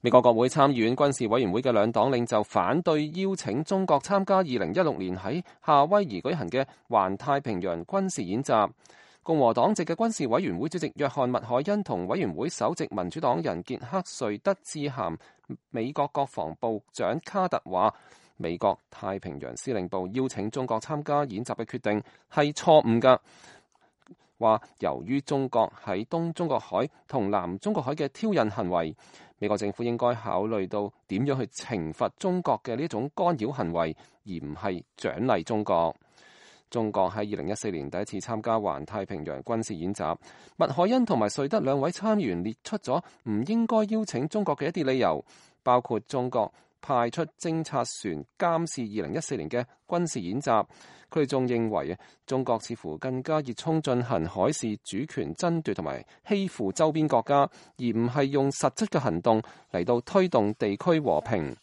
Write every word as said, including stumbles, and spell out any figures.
美國國會參議院軍事委員會嘅兩黨領袖反對邀請中國參加二零一六年喺夏威夷舉行嘅環太平洋軍事演習。共和黨籍嘅軍事委員會主席約翰麥凱恩同委員會首席民主黨人傑克瑞德致函美國國防部長卡特，話美國太平洋司令部邀請中國參加演習嘅決定係錯誤㗎。話由於中國喺東中國海同南中國海嘅挑釁行為，美國政府應該考慮到點樣去懲罰中國嘅呢種干擾行為，而唔係獎勵中國。中國喺二零一四年第一次參加環太平洋軍事演習，麥凱恩同埋瑞德兩位參員列出咗唔應該邀請中國嘅一啲理由，包括中國派出偵察船監視二零一四年嘅軍事演習。佢哋仲認為中國似乎更加熱衷進行海事主權爭奪同埋欺負周邊國家，而唔係用實質嘅行動嚟到推動地區和平。